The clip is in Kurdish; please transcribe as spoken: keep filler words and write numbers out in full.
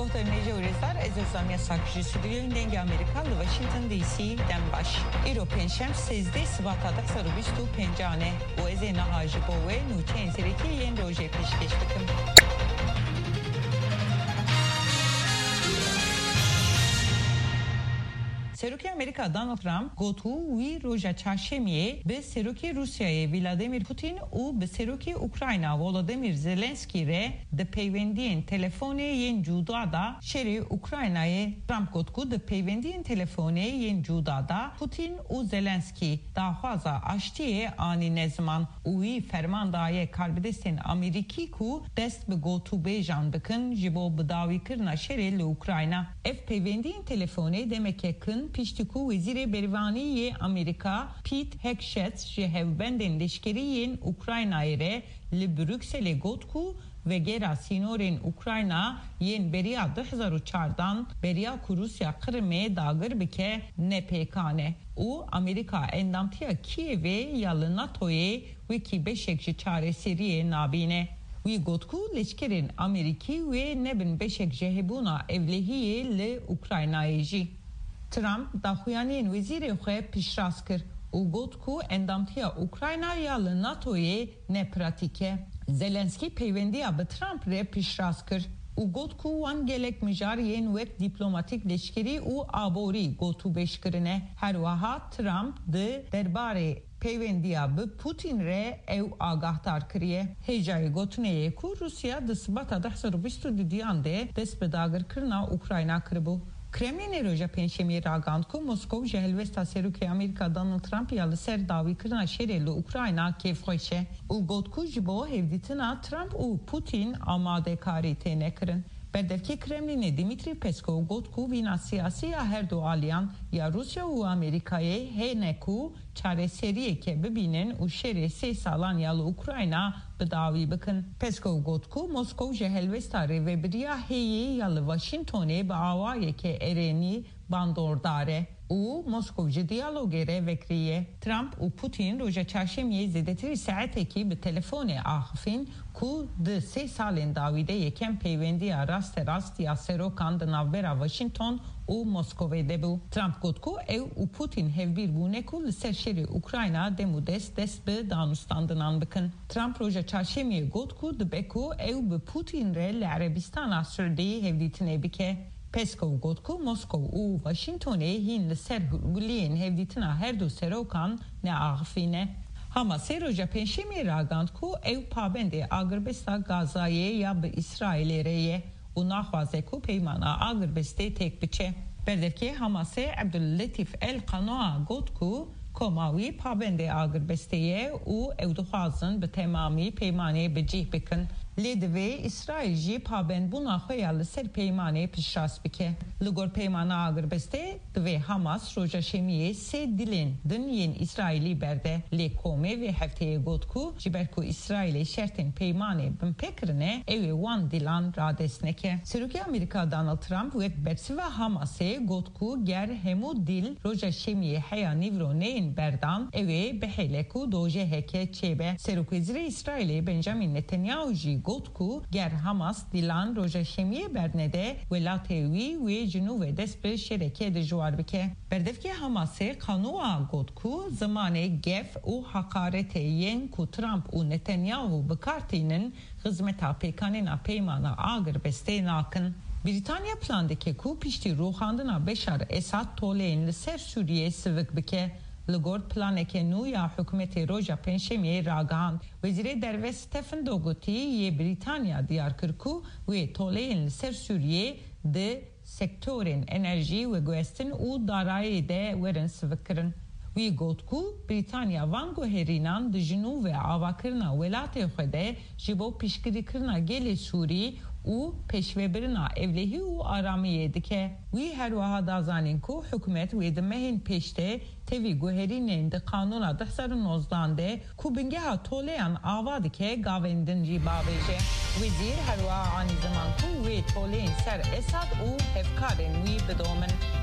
Muhterem hêja û rêzdar, ez Ozan Yasak ji stûdyoyên Dengê Amerîka li Washington D C dem baş. Îro pêncşem sêzdeh Sibata du hezar û bîst û pêncan e û ez ê niha ji bo we nûçeyên serekî yên rojê pêşkêş bikim. Serokê Amerîka Donald Trump got ku wî roja çarşemiyê bi Serokê Rûsyayê Vladimir Putin û bi Serokê Ukrayna Volodymyr Zelensky re di peywendiyên telefonê yên cuda de şerê Ukraynayê. Trump got ku di peywendiyên telefonê yên cuda de Putin û Zelensky daxwaza aştiyê anîne ziman û wî ferman daye karbidestên Amerîkî ku dest bi gotûbêjan bikin ji bo bidawîkirina şerê li Ukrayna. Ev peywendiyên telefonê demeke kin piştî ku Wezîrê Bervanî yê Amerîka Pete Hegseth ji hevbendên leşkerî yên Ukraynayê re li Brukselê got ku vegera sînorên Ukrayna yên beriya du hezar û çardan beriya ku Rûsya Qrimê dagir bike ne pêkan e û Amerîka endamtiya Kîevê ya li NATOyê wekî beşek ji çareseriyê nabîne. Wî got ku leşkerên Amerîkî wê nebin beşek ji hebûna ewlehiyê li Ukraynayê jî. Trump daxuyaniyên wezîrê xwe piştrast kir û got ku endamtiya Ukrayna ya li NATOyê ne pratîk e. Zelensky peywendiya bi Trump re piştrast kir û got ku wan gelek mijar yên wek dîplomatîk, leşkerî û aborî gotûbêj kirine. Her wiha Trump di derbarê peywendiya bi Putin re ew agahdar kiriye. Hêjayê gotinê ye ku Rûsya di Sibata du hezar û bîst û duyan de dest bi dagirkirina Ukrayna kiribû. Kremlînê roja Pêncşemiyê ragihand ku Moskow ji helwesta Serokê Amerîka Donald Trump ya li ser dawîkirina şerê li Ukrayna kêfxweş e û got ku ji bo hevdîtina Trump û Putin amadekarî têne kirin. Berdevkê Kremlînê Dmitry Peskov got ku vîna siyasî ya her du aliyan, ya Rûsya û Amerîkayê, hene ku çareseriyeke bibînin û şerê sê salan ya li Ukrayna bi dawî bikin. Peskov got ku Moskow ji helwesta rêvebiriya heyî ya li Washingtonê bi awayeke erênî bandordar e û Moskow ji diyalogê re vekirî ye. Trump û Putin roja çarşemiyê zêdetirî saetekî bi telefonê axifîn ku di sê salên dawî de yekem peywendiya rasterast ya serokan di navbera Washington û Moskovê de bû. Trump got ku ew û Putin hevbîr bûne ku li ser şerê Ukrayna dem û dest dest bi danûstandinan bikin. Trump roja çarşemiyê got ku dibe ku ew bi Putin re li Erebistana Siûdî hevdîtinê bike. Peskov got ku Moskow û Washingtonê hîn li ser hûrguliyên hevdîtina her du serokan neaxifîne. Hamasê roja Pêncşemiyê ragihand ku ew pabendê agirbesta Gazayê ya bi Îsraîlê re ye û naxwaze ku peymana agirbestê têk biçe. Berdevkê Hamasê Ebdulletîf El Qanoa got ku koma wî pabendê agirbestê ye û ew dixwazin bi temamî peymanê bi cih bikin. Lê divê Îsraîl jî pabendbûna xwe ya li ser peymanê piştrast bike. Li gor peymana agirbestê, divê Hamas roja Şemiyê sê dilên din yên Îsraîlî berde. Lê komê vê hefteyê got ku ji ber ku Îsraîlê şertên peymanê binpê kirine, ew ê wan dilan radest neke. Serokê Amerîka Donald Trump wek bersiva Hamasê got ku ger hemû dîl roja Şemiyê heya nîvro neyên berdan, ew ê bihêle ku dojeheke çêbe. Serokwezîrê Îsraîlê Benjamin Netanyahu jî got ku ger Hamas dîlan roja Şemiyê bernede, welatê wî wê ji nû ve dest bi şerekê dijwar bike. Berdevkê Hamasê Qanoa got ku zimanê gef û heqaretê yên ku Trump û Netanyahu bi kar tînin, xizmeta pêkanîna peymana agirbestê nakin. Brîtanya plan dike ku piştî rûxandina Beşar Esad toleyên li ser Sûriyê sivik bike. Li gor planeke nû ya hikûmetê roja Pêncşemiyê ragihand. Wezîrê Derve Stephen Dougherty yê Brîtanya diyar kir ku wê toleyên li ser Sûriyê di sektorên enerjî, veguhestin û darayî de werin sivikkirin. Wî got ku Brîtanya van guherînan di ji nû ve avakirina welatê xwe de ji bo piştgirîkirina gelê Sûrî û pêşvebirina ewlehî û aramiyê dike. Wî her wiha da zanîn ku hikûmet wê di mehên pêş de tevî guherînên di Qanûna du hezar û nozdan de ku bingeha toleyan ava dike, gavên din jî bavêje. Wezîr her wiha anî ziman ku wê toleyên ser Esad û hevkarên wî bidomin.